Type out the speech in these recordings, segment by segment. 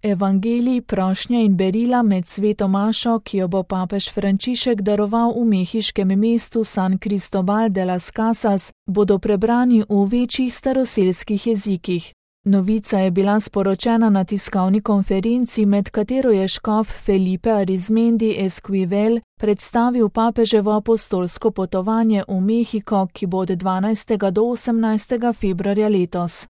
Evangelij, prošnja in berila med sveto mašo, ki jo bo papež Frančišek daroval v mehiškem mestu San Cristóbal de las Casas, bodo prebrani v večjih staroselskih jezikih. Novica je bila sporočena na tiskovni konferenci, med katero je škof Felipe Arizmendi Esquivel predstavil papeževo apostolsko potovanje v Mehiko, ki bo od 12. do 18. februarja letos.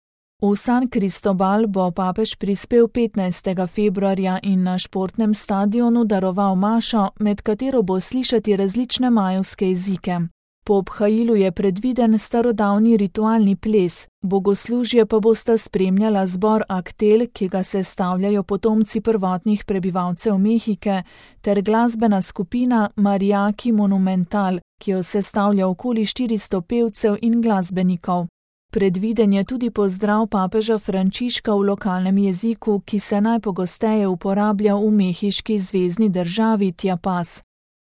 V San Cristóbal bo papež prispel 15. februarja in na športnem stadionu daroval mašo, med katero bo slišati različne majevske jezike. Po obhajilu je predviden starodavni ritualni ples, bogoslužje pa bosta spremljala zbor Aktel, ki ga sestavljajo potomci prvotnih prebivalcev Mehike, ter glasbena skupina Mariachi Monumental, ki jo sestavlja okoli 400 pevcev in glasbenikov. Predviden je tudi pozdrav papeža Frančiška v lokalnem jeziku, ki se najpogosteje uporablja v mehiški zvezni državi Chiapas.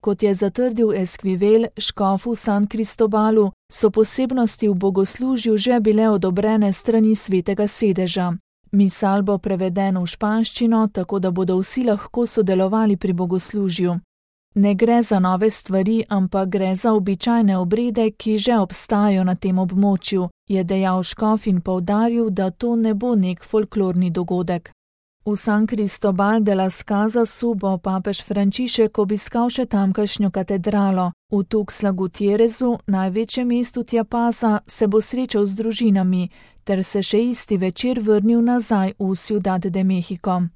Kot je zatrdil Esquivel, škof v San Cristóbalu, so posebnosti v bogoslužju že bile odobrene strani svetega sedeža. Misal bo preveden v španščino, tako da bodo vsi lahko sodelovali pri bogoslužju. Ne gre za nove stvari, ampak gre za običajne obrede, ki že obstajajo na tem območju, je dejal škof in poudaril, da to ne bo nek folklorni dogodek. V San Cristóbal de las Casasu bo papež Frančišek obiskal še tamkajšnjo katedralo. V Tuxtla Gutierrezu, največjem mestu Chiapasa, se bo srečal z družinami, ter se še isti večer vrnil nazaj v Ciudad de México.